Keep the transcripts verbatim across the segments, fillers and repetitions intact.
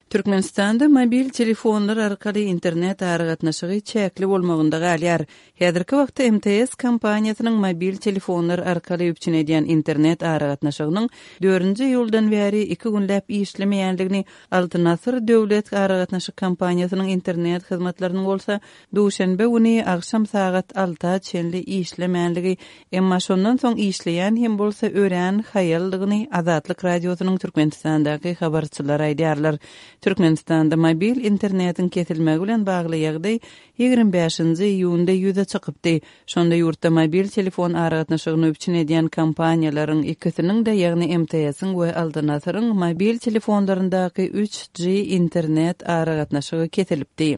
Türkmenistanda mobil telefonlar arkaly internet aragatnaşygy çäkli bolmagynda galýar. Häzirki wagtda M T S kompaniýasynyň mobil telefonlar arkaly üpjün edýän internet aragatnaşygynyň dördünji iýuldan bäri iki günläp işlemeýändigini, Altyn Asyr döwlet aragatnaşyk kompaniýasynyň internet hyzmatlarynyň bolsa duşenbe güni agşam sagat alta çenli işlemänligi, emma şondan soň işleýän hem bolsa örän haýaldygyny Azatlyk Radiosynyň Türkmenistandaky habarçylary aýdýarlar. Türkmenistanda mobil internetiň kesilmegi bilen bagly ýagdaý ýigrimi bäşinji iýunda ýüze çykypdy. Şonda ýurtda mobil telefon aragatnaşygyny üpjün edýän kompaniýalaryň ikisiniň-de, ýagny M T S-iň we Altyn Asyryň mobil telefonlaryndaky üç G internet aragatnaşygy kesilipdi.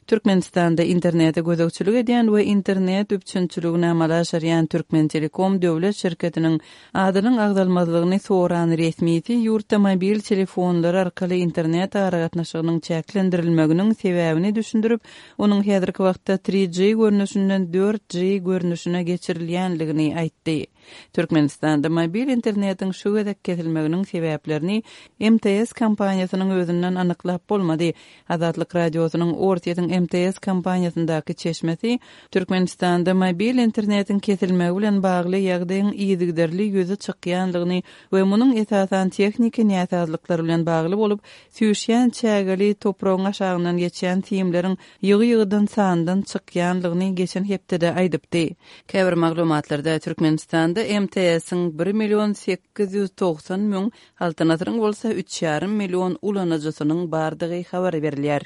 Türkmenistanda internete gözegçilik edýän we internet üpjünçiligini amala aşyrýan Türkmentelekom döwlet şirketiniň adynyň agzalmazlygyny soran resmisi ýurtda mobil telefonlar arkaly internet aragatnaşygynyň çäklendirilmeginiň sebäbini düşündirip, onuň häzirki wagtda üç G görnüşinden dört G görnüşine geçirilýänligini aýtdy. Türkmenistanda mobil internetiň şu gezek kesilmeginiň sebäplerini M T S kompaniýasynyň özünden anyklap bolmady. Azatlyk Radiosynyň Orsýetiň M T S kompaniýasyndaky çeşmesi Türkmenistanda mobil internetiň kesilmegi bilen bagly ýagdaýyň yzygiderli ýüze çykýanlygyny we munuň esasan tehniki näsazlyklar bilen bagly bolup, süýşýän çägeli topragyň aşagyndan geçýän simleriň ýygy-ýygydan sandan çykýanlygyny geçen hepdede aýdypdy. Käbir maglumatlarda Türkmenistanda M T S-iň bir million sekiz ýüz togsan müň, Altyn Asyryň bolsa üç ýarym million ulanyjysynyň bardygy habar berilýär.